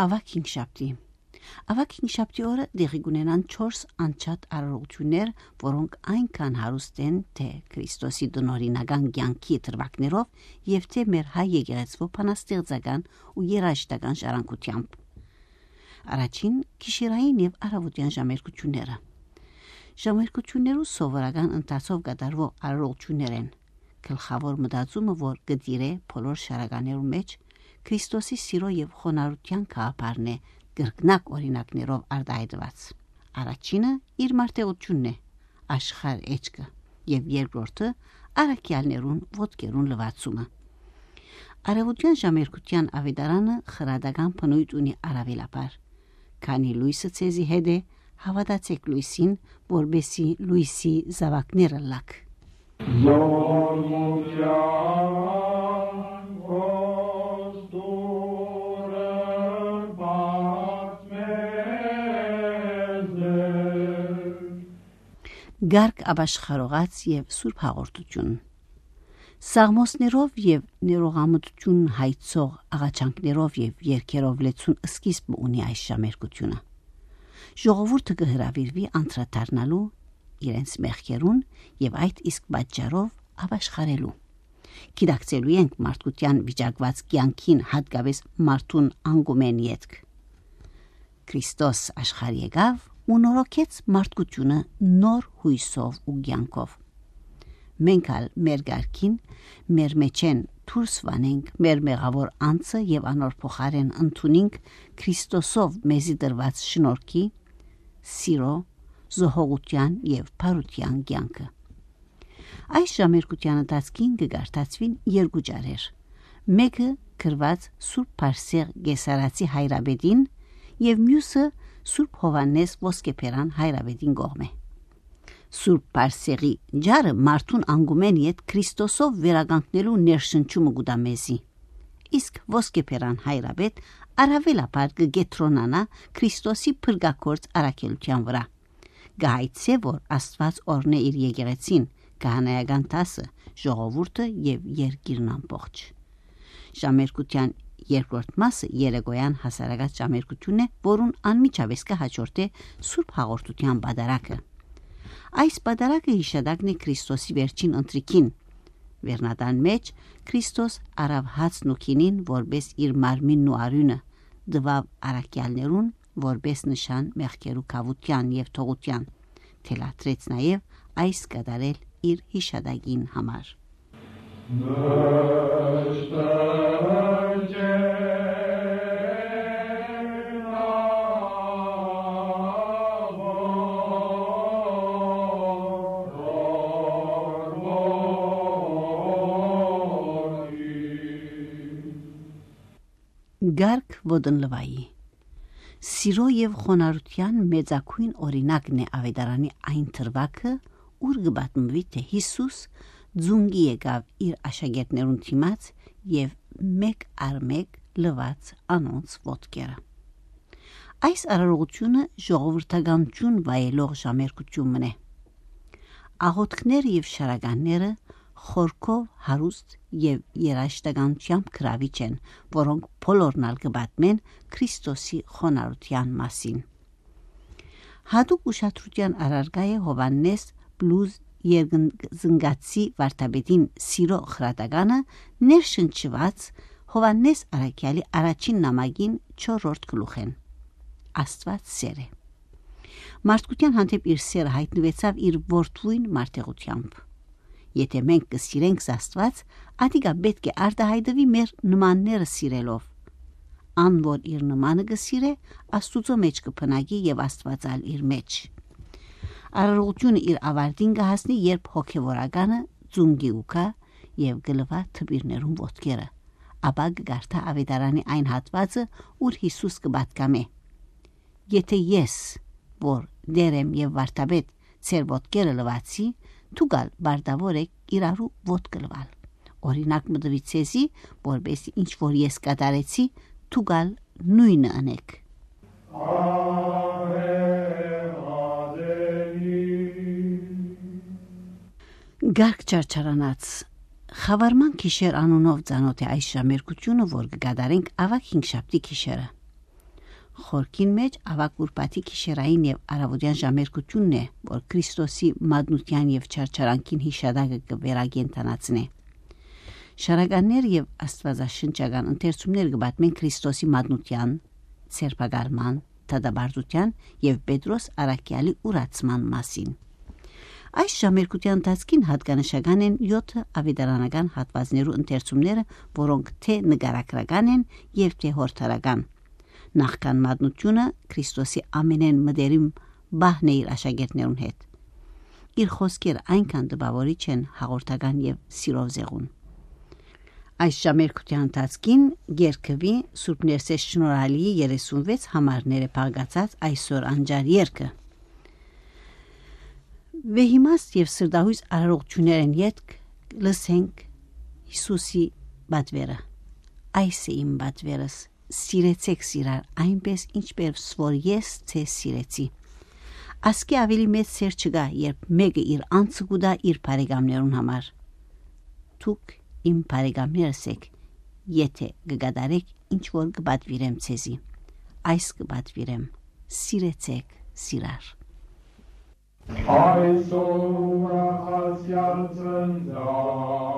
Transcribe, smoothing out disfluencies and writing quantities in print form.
Ավակ հինգշաբթի։ Ավակ հինգշաբթի օրը դեղի կունենան 4 անչափ արարողություններ, որոնք այնքան հարուստ են, թե Քրիստոսի դնորինական կյանքի դրվագներով եւ թե մեր հայ եկեղեցու փանաստեղծական ու երաժշտական ժառանգությամբ։ Առաջին գիշերային եւ առավոտյան ժամերկությունները։ Ժամերկություններու սովորական ընթացով կատարվող արարողություններ են։ Գլխավոր մտածումը, որ գդիրե բոլոր շարականերու մեջ Քրիստոսի սիրո եւ խոնարհության գաղափարն է գրկնակ օրինակներով արտահայտված։ Առաջինը իր մարտեղությունն է, աշխարհ էջքը, եւ երկրորդը արաքյալներուն ոտքերուն լվացումը։ Արևոտյան ժամերկության ավետարանը խրադական բնույթ ունի առավելապար, քանի լույսը ցեզի հետ է, հավատացեք լույսին, որբեսի լույսի զավակները լակ։ Գարկ աբաշխարողած եւ սուրբ հաղորդություն։ Սաղմոսներով եւ ներողամտություն հայցող աղաչանքներով եւ երգերով լեցուն սկիզբ ունի այս ժամերկությունը։ Ժողովուրդը կհրավիրվի անդրադառնալու իրենց մեղքերուն եւ այդ իսկ պատճառով աբաշխարելու։ Գիտակցելու ենք մարդկության վիճակված կյանքին հատկապես մարդուն անգումեն ետք։ Քրիստոս աշխարհ եկավ ու նորոգեց մարդկությունը նոր հույսով ու կյանքով։ Մենք ալ մեր գարքին, մեր մեջեն դուրս վանենք մեր մեղավոր անձը եւ անոր փոխարեն ընդունենք Քրիստոսով մեզի դրված շնորհքի, սիրո, զոհողության եւ բարության կյանքը։ Այս ժամերկության ընթացքին կգարտացվին երկու ջարեր։ Մեկը գրված Սուրբ Փարսեղ Գեսարացի հայրաբեդին եւ մյուսը Սուրբ Հովանես Ոսկեփերան հայրաբեդին կողմէ։ Սուրբ Փարսեղի ջարը մարդուն անգումեն իդ Քրիստոսով վերականգնելու ներշնչումը գուտամեզի։ Իսկ Ոսկեփերան հայրաբեդ առավելապար կգետրոնանա Քրիստոսի փրկակորց առաքելության վրա։ Գայցե որ Աստված օրնե իր եկեղեցին, քահանայական դասը, ժողովուրդը եւ երկիրն ամբողջ։ Ժամերկության երկրորդ մասը երեկոյան հասարակած ժամերկությունն է, որուն անմիջապես կհաջորդե Սուրբ հաղորդության պատարակը։ Այս պատարակը հիշադակն է Քրիստոսի վերջին ընտրիքին։ Վերնատան մեջ Քրիստոս արավ հացն ու քինին որպես իր մարմինն ու արյունը, դվավ առաքյալներուն որպես նշան մեղքերու կավության եւ թողության, թելադրեց նաեւ այս կատարել իր հիշադակին համար։ Գարկ ոդնլվայի Սիրո եւ խոնարհության մեծակույն օրինակն է ավետարանի այն թրվակը, ուր գբատնվի թե Հիսուս ձունգի եկավ իր աշակերտներուն թիմաց եւ մեկ առ մեկ լված անոնց ոտքերը։ Այս արարողությունը ժողովրդականություն վայելող ժամերկությունն է։ Աղոթքները եւ շարականները խորքով հարուստ եւ երաժշտականությամբ գրավիչ են, որոնք բոլորն ալ կբատմեն Քրիստոսի խոնարհության մասին։ Հատուկ ուշադրության առարկա է Հովանես բլուզ երկզնգացի վարդապետին սիրո խրատականը ներշնչված Հովանես առաքյալի առաջին նամակին 4-րդ գլուխեն։ Աստված սեր է։ Մարդկության հանդեպ իր սերը հայտնվեցավ իր որդվույն մարտեղությամբ։ Եթե մենք կսիրենք Աստված, ադիգա պետք է արտահայտվի մեր նմանները սիրելով։ Ան որ իր նմանը կսիրե, Աստուծո մեջ կփնակի եւ Աստվածալ իր մեջ։ Արարողությունը իր ավարտին կհասնի, երբ հոգևորականը ձունգի ուկա եւ գլվա թբիրներուն ոտքերը, ապա կգարտա ավետարանի այն հատվածը, ուր Հիսուս կբատկամե։ Եթե ես, որ դերեմ եւ վարդապետ, ծեր ոտքերը լվացի, Թուգալ բարդավոր եք իրարու ոտք լվալ։ Օրինակ մտվի ցեզի, որբեսի ինչ որ ես կատարեցի, թուգալ նույնը անեք։ Գարկ չարչարանաց Խավարման գիշեր անունով ծանոթ է այս ժամերկությունը, որ կգադարենք ավակ հինգշաբթի գիշերը։ Խորքին մեջ ավակ ուրբաթի գիշերային եւ արավոտյան ժամերկությունն է, որ Քրիստոսի մատնության եւ չարչարանքին հիշադակը կվերագենտանացնի։ Շարականներ եւ աստվածաշնչական ընթերցումներ կբացեն Քրիստոսի մատնության, ցերպագարման, դադարության եւ Պետրոս Արաքյալի ուրացման մասին։ Այս ժամերկության ընթացքին հատկանշական են 7 ավետարանական հատվածներու ընթերցումները, որոնք թե նկարագրական են եւ թե հորդարական։ Նախքան մատնությունը Քրիստոսի ամենեն մդերիմ բահն է իր աշակերտներուն հետ։ Իր խոսքերը այնքան տպավորիչ են հաղորդական եւ սիրով զեղուն։ Այս ժամերկության ընթացքին երկվի Սուրբ Ներսես շնորհալի 36 համարները փաղկացած այսօր անջար երկը։ Վեհիմաս եւ սրդահույս արարողություններն յետք լսենք Հիսուսի բադվերը։ Այս է իմ բադվերս, սիրեցեք սիրար, այնպես ինչպես որ ես ցե սիրեցի։ Ասկի ավելի մեծ սեր չկա, երբ մեկը իր անձը գուտա իր բարեկամներուն համար։ Դուք իմ բարեկամներս եք, եթե կգադարեք ինչ որ կբադվիրեմ ցեզի։ Այս կբադվիրեմ, սիրեցեք սիրար։ Այսօր ուրախացյալ ծննդան